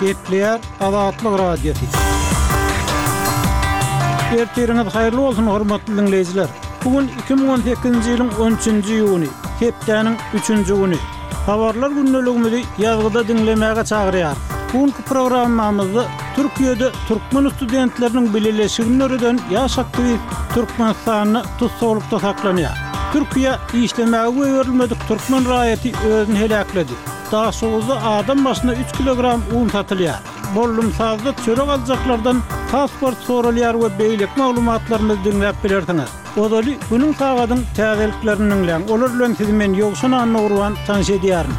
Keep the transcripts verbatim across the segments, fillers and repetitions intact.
Gepleýär Azatlyk Radiosy. Ertiriňiz haýyrly bolsun, hormatly diňleýjiler! Bu gün iki müň on sekizinji ýylyň on üçünji iýuny, hepdäniň üçünji güni. Habarlar gündeligimizi ýazgyda diňlemäge çagyrýarys. Bu günki programmamyzda Türkiýede türkmen studentleriniň bileleşigini döreden ýaş aktiwist Türkmenistanda tussaglykda saklanýar. Türkiýä işlemäge goýberilmedik türkmen raýaty özüni heläkledi. Daşoguzda adam başyna üç kilogram un satylýar. Bollumsazda çörek aljaklardan pasport soralýar we beýleki maglumatlarymyzy diňläp bilersiňiz. Ozaly günüň sagadyň täzeliklerini diňläň. Olar bilen sizi men Ýowşan Annagurban tanyş edýärin.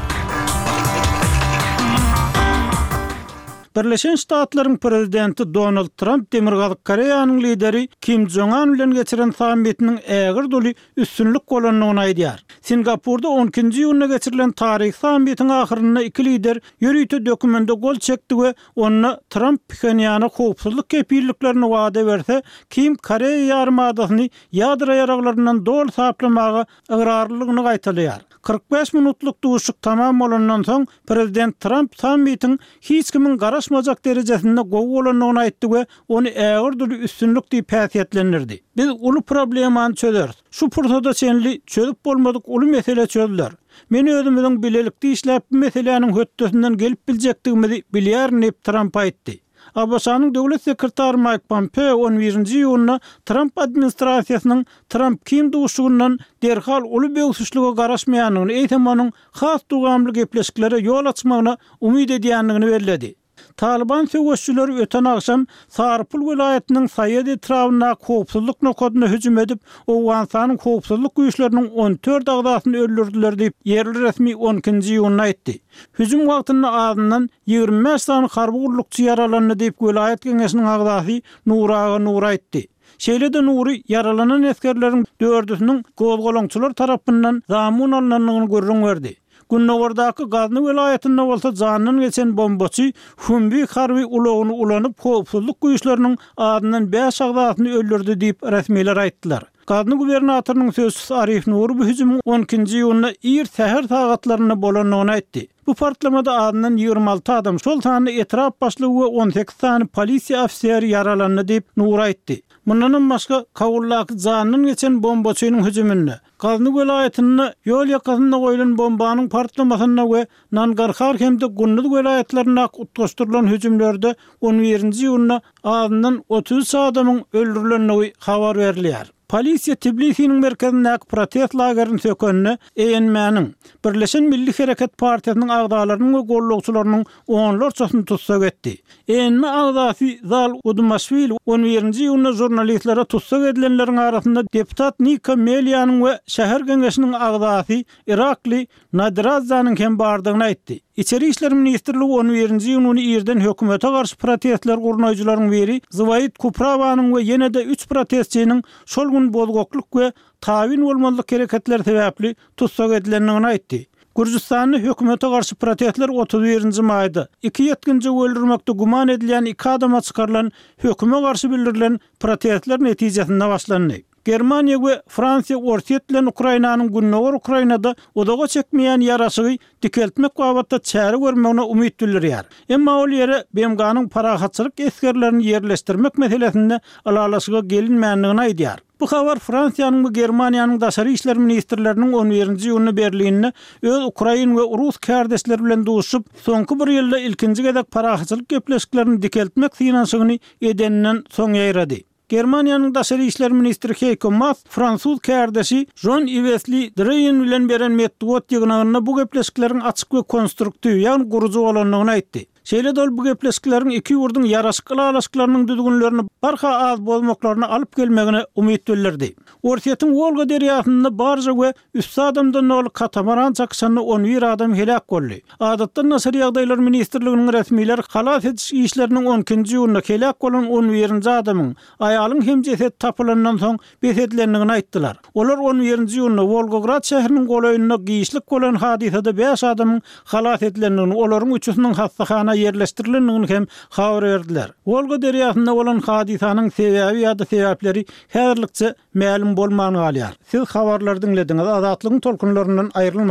Birleşen Ştatlaryň prezidenti Donald Tramp Demirgazyk Koreýanyň lideri Kim Jong Un bilen geçiren sammitiniň ägirt uly üstünlik bolandygyny aýdýar. Singapurda on ikinji iýunda geçirilen taryhy sammitiň ahyrynda iki lider ýörite dokumende gol çekdi we onda Tramp Phenýana howpsuzlyk kepilliklerini wada berse, Kim Koreýa ýarymadasyny ýadro ýaraglaryndan doly saplamaga ygrarlylygyny gaýtalaýar. Kyrk bäş minutlyk duşuşyk tamam bolandan soň, prezident Tramp sammitiň hiç kimiň garaşmajak derejesinde gowy bolandygyny aýtdy we ony ägirt uly üstünlik diýip häsiýetlendirdi. Biz uly problemany çözeris. Şu pursada çenli çözüp bolmadyk uly mesele çözüler. Men özümiziň bilelikde işläp bu meseläniň hötdesinden gelip biljekdigimizi bilýärin diýip, Tramp aýtdy. ABŞ-nyň döwlet sekretary Maýk Pompeo on birinji iýunda Tramp administrasiýasynyň Tramp-Kim duşuşygyndan derhal uly böwsüşlige garaşmaýandygyny, eýsem onuň has dowamly gepleşiklere ýol açmagyna umyt edýändigini belledi. Talyban söweşçileri öten agşam Sarypul welaýatynyň Saýed etrabyndaky howpsuzlyk nokadyna hüjüm edip, Owganystanyň howpsuzlyk güýçleriniň on dört agzasyny öldürdiler diýip, ýerli resmi on ikinji iýunda aýtdy. Hüjüm wagtynda azyndan ýigrimi bäş sany harby gullukçy ýaralandy diýip, welaýat geňeşiniň agzasy Nuraga Nur aýtdy. Şeýle-de Nury ýaralanan esgerleriň dördüsiniň gozgalaňçylar tarapyndan zamun alnandygyny gürrüň berdi. Gündogardaky Gazny welaýatynda bolsa jandan geçen bombaçy Humvee harby ulagyny ulanyp, howpsuzlyk güýçleriniň azyndan bäş agzasyny öldürdi diýip, resmiler aýtdylar. Gazny gubernatorynyň sözçüsi Arif Nury bu hüjümiň on ikinji iýunda ir säher sagatlarynda bolandygyny aýtdy. Bu partlamada azyndan ýigrimi alty adam, şol sanda etrap başlygy we on sekiz sany polisiýa ofiseri ýaralandy diýip, Nury aýtdy. Mundanam başga, Kabuldaky jandan geçen bombaçynyň hüjüminde, Gazny welaýatynda ýol ýakasynda goýlan bombanyň partlamasynda we Nangarhar hem-de Gunduz welaýatlaryndaky utgaşdyrylan hüjümlerde on birinji iýunda azyndan otuz üç adamyň öldürilendigi habar berilýär. Polisiýa Tbilisiniň merkezindäki protest lagerini sökende, E N M-niň, Birleşen Milli Hereket partiýasynyň agzalarynyň we gollagçylarynyň onlarçasyny tussag etdi. E N M agzasy Zal Udumaşwili on birinji iýunda žurnalistlere tussag edilenleriň arasynda deputat Nika Melianyň we şäher geňeşiniň agzasy Irakli Nadiradzanyň hem bardygyny aýtdy. Içeri işler ministrligi on birinji iýun güni irden hökümete garşy protestler gurnaýjylaryň biri Zwaid Kuprawanyň we ýene-de üç protestçiniň şol gün bozgaklyk we tabyn bolmazlyk hereketleri sebäpli tussag edilendigini aýtdy. Gürjüstanda hökümete garşy protestler otuz birinji maýda iki ýetginjegi öldürmekde güman edilýän iki adama çykarylan höküme garşy bildirilen protestler netijesinde başlandy. Germaniýa we Fransiýa Orsýet bilen Ukrainanyň Gündogar Ukrainada uzaga çekmeýän ýaraşygy dikeltmek babatda çäre görmegine umyt bildirýär. Emma ol ýere B M G-nyň parahatçylyk esgerlerini ýerleşdirmek meselesinde ylalaşyga gelinmändigini aýdýar. Bu habar Fransiýanyň we Germaniýanyň daşary işler ministrleriniň on birinji iýunda Berlinde öz ukrain we rus kärdeşleri bilen duşuşyp, soňky bir ýylda ilkinji gezek parahatçylyk gepleşiklerini dikeltmek synanyşygyny edeninden soň ýaýrady. Germaniýanyň daşary işler ministri Heiko Maas fransuz kärdeşi Jean-Yves Le Drian bilen beren metbugat ýygnagynda bu gepleşikleriň açyk we konstruktiw, ýagny gurujy bolandygyny aýtdy. Şeýle-de ol bu gepleşikleriň iki ýurduň ýaraşyk ylalaşyklarynyň düzgünlerini barha az bozmaklaryny alyp gelmegine umyt bildirdi. Orsýetiň Wolga derýasynda barja we üsti adamdan doly katamaran çakyşanda on bir adam heläk boldy. Adatdan daşary ýagdaýlar ministrliginiň resmileri halas ediş işleriniň on ikinji iýunda heläk bolan on birinji adamyň, aýalyň hem jesedi tapylandan soň bes edilendigini aýtdylar. Olar on birinji iýunda Wolgograd şäheriniň golaýynda giçlik bolan hadysada bäş adamyň halas edilendigini, olaryň üçüsiniň hassahana ýerleşdirilendigini hem habar berdiler. Wolga derýasynda bolan hadysanyň sebäbi ýa-da sebäpleri häzirlikçe mälim bolman galýar. Siz habarlary diňlediňiz. Azatlygyň tolkunlaryndan aýrylmaň.